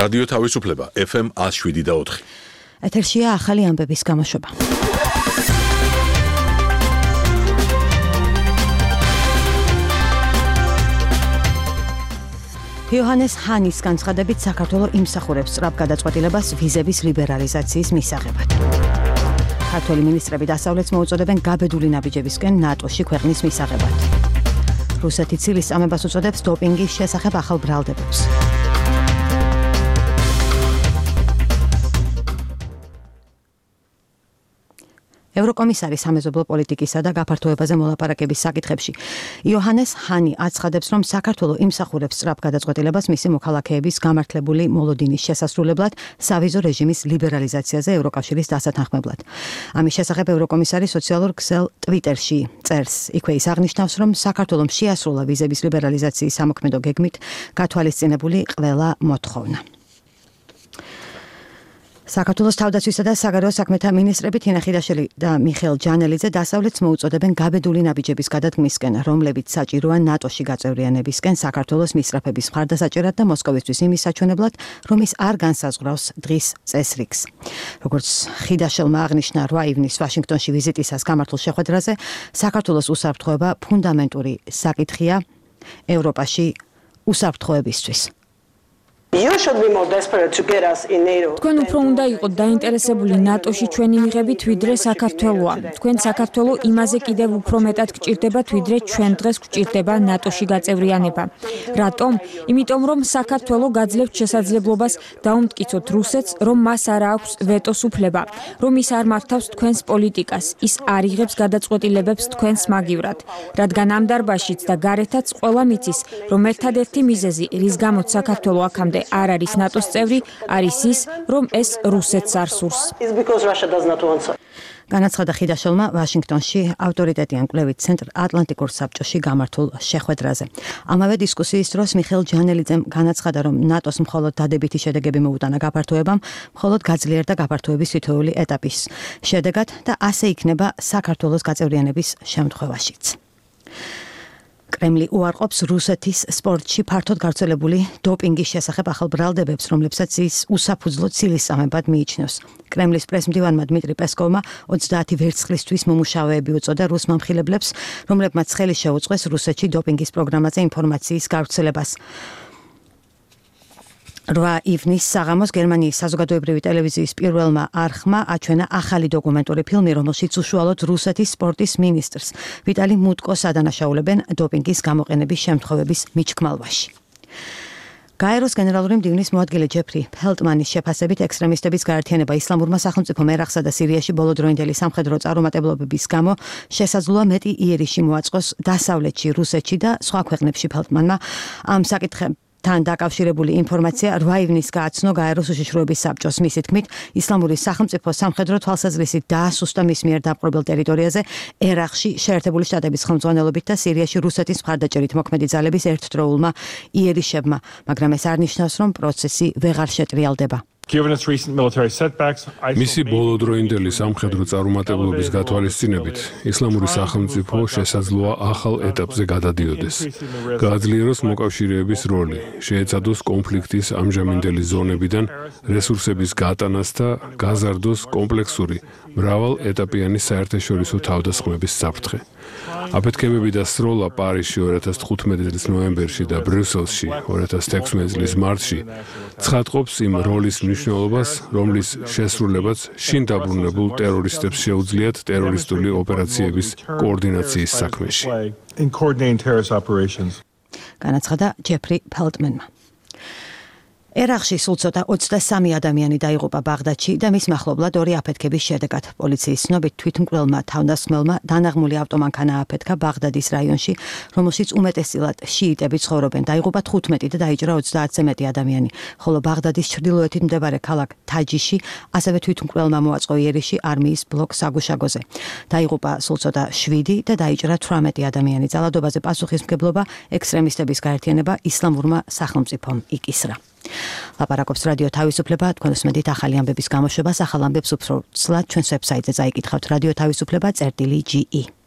რადიო თავისუფლება FM 107.4. ეთერშია ახალი ამბების გამოშვება. იოჰანეს ჰანის განცხადებით საქართველო იმსახურებს სწრაფ გადაწყვეტილებას ვიზების ლიბერალიზაციის მისაღებად. ქართველი მინისტრები დასავლეთს მოუწოდებენ გაბედული ნაბიჯებისკენ ნატოში ქვეყნის მისაღებად. რუსეთი ცილის წამებას უწოდებს დოპინგის შესახებ ახალ ბრალდებებს. ევროკომისარი სამეზობლო პოლიტიკისა და გაფართოებაზე მოლაპარაკების საკითხებში იოჰანეს ჰანი აცხადებს, რომ საქართველო იმსახურებს სწრაფ გადაწყვეტილებას მისი მოქალაქეების გამართლებული მოლოდინის შესასრულებლად სავიზო რეჟიმის ლიბერალიზაციაზე ევროკავშირის დასათანხმებლად. ამის შესახებ ევროკომისარი სოციალურ ქსელ ტვიტერში წერს. იქვე ის აღნიშნავს, რომ საქართველომ შეასრულა ვიზების ლიბერალიზაციის სამოქმედო გეგმით გათვალისწინებული ყველა მოთხოვნა. საქართველოს თავდაცვისა და საგარეო საქმეთა მინისტრები თინა ხიდაშელი და მიხეილ ჯანელიძე დასავლეთს მოუწოდებენ გაბედული ნაბიჯების გადადგმისკენ, რომლებიც საჭიროა ნატოში გაწევრიანებისკენ საქართველოს მისწრაფების მხარდასაჭერად და მოსკოვისთვის იმის საჩვენებლად, რომ ის არ განსაზღვრავს დღის წესრიგს. როგორც ხიდაშელმა აღნიშნა 8 ივნის ვაშინგტონში ვიზიტისას გამართულ შეხვედრაზე, საქართველოს უსაფრთხოება ფუნდამენტური საკითხია ევროპაში უსაფრთხოებისთვის. თქვენ უფრო უნდა იყოთ დაინტერესებული ნატოში ჩვენი მიღებით, ვიდრე საქართველოა. თქვენ საქართველო იმაზე კიდევ უფრო მეტად გჭირდებათ, ვიდრე ჩვენ დღეს გჭირდება ნატოში გაწევრიანება. რატომ? იმიტომ რომ საქართველო გაძლევთ შესაძლებლობას დაუმტკიცოთ რუსეთს, რომ მას არ აქვს ვეტოს უფლება, რომ ის არ მართავს თქვენს პოლიტიკას, ის არ იღებს გადაწყვეტილებებს თქვენს მაგივრად. რადგან ამ დარბაზშიც და გარეთაც ყველა მიცის, რომ ერთადერთი მიზეზი, რის გამოც საქართველო აქამდე არ არის ნატოს წევრი, არის ის, რომ ეს რუსეთს არ სურს. განაცხადა ხიდაშელმა ვაშინგტონში ავტორიტეტიან კვლევით ცენტრ ატლანტიკურ საბჭოში გამართულ შეხვედრაზე. ამავე დისკუსიის დროს მიხეილ ჯანელიძემ განაცხადა, რომ ნატოს მხოლოდ დადებითი შედეგები მოუტანა გაფართოებამ, მხოლოდ გაძლიერდა გაფართოების თითოეული ეტაპის შედეგად და ასე იქნება საქართველოს გაწევრიანების შემთხვევაშიც. კრემლი უარყოფს რუსეთის სპორტში ფართოდ გავრცელებული დოპინგის შესახებ ახალ ბრალდებებს, რომლებსაც ის უსაფუძვლო ცილის წამებად მიიჩნევს. კრემლის პრესმდივანმა დმიტრი პესკოვმა 30 ვერცხლისთვის მომუშავეები უწოდა რუს მომხილებლებს, რომლებმაც ხელი შეუწყეს რუსეთში დოპინგის პროგრამაზე ინფორმაციის გავრცელებას. 8 ივნის საღამოს გერმანიის საზოგადოებრივი ტელევიზიის პირველმა არხმა აჩვენა ახალი დოკუმენტური ფილმი, რომელშიც უშუალოდ რუსეთის სპორტის მინისტრს ვიტალი მუტკოს ადანაშაულებენ დოპინგის გამოყენების შემთხვევების მიჩქმალვაში. გაეროს გენერალური მდივნის მოადგილე ჯეფრი ფელტმანის შეფასებით ექსტრემისტების გაერთიანება ისლამურმა სახელმწიფო ერაყსა და სირიაში ბოლოდროინდელი სამხედრო წარუმატებლობების გამო შესაძლოა მეტი იერიში მოაწყოს დასავლეთში, რუსეთში და სხვა ქვეყნებში. ფელტმანმა ამ საკითხებს თან დაკავშირებული ინფორმაცია 8 ივნის გააცნო გაეროს უშიშროების საბჭოს. მისი თქმით, ისლამური სახელმწიფო სამხედრო თვალსაზრისით დაასუსტა მის მიერ დაპყრობილ ტერიტორიაზე ერაყში შეერთებული შტატების ხელმძღვანელობით და სირიაში რუსეთის მხარდაჭერით მოქმედი ძალების ერთდროულმა იერიშებმა, მაგრამ ეს არ ნიშნავს, რომ პროცესი ვეღარ შეტრიალდება. მისი ბოლოდროინდელი სამხედრო წარუმატებლობის გათვალისწინებით ისლამური სახელმწიფო შესაძლოა ახალ ეტაპზე გადადიოდეს. გააძლიეროს მოკავშირეების როლი, შეეცადოს კონფლიქტის ამჟამინდელი ზონებიდან რესურსების გატანას და გაზარდოს კომპლექსური მრავალეტაპიანი საერთაშორისო თავდასხმების საფრთხე. აფეთქებები და სროლა პარიზში 2015 წლის ნოემბერში და ბრიუსელში 2016 წლის მარტში ცხადყოფს იმ როლის მნიშვნელობას, რომლის შესრულებაც შინ დაბრუნებულ ტერორისტებს შეუძლიათ ტერორისტული ოპერაციების კოორდინაციის საქმეში. განაცხადა ჯეფრი ფელტმანმა. ერაყში სულ ცოტა 23 ადამიანი დაიღუპა ბაღდადში და მის მახლობლად 2 აფეთქების შედეგად. პოლიციის ცნობით თვითმკვლელმა თავდასხმელმა დანაღმული ავტომანქანა აფეთქა ბაღდადის რაიონში, რომელშიც უმეტესწილად შიიტები ცხოვრობენ. დაიღუპა 15 და დაიჭრა 30-ზე მეტი ადამიანი, ხოლო ბაღდადის ჩრდილოეთით მდებარე ქალაქ თაჯიში ასევე თვითმკვლელმა მოაწყო იერიში არმიის ბლოკ საგუშაგოზე. დაიღუპა სულ ცოტა 7 და დაიჭრა 18 ადამიანი. ძალადობაზე პასუხისმგებლობა ექსტრემისტების გაერთიანება ისლამურმა სახელმწიფომ იკისრა. ლაპარაკობს რადიო თავისუფლება, თქვენ უსმენთ ახალი ამბების გამოშვებას, ახალ ამბებს უფრო ცლად ჩვენს ვებსაიტზე წაიკითხავთ, რადიო თავისუფლება.ge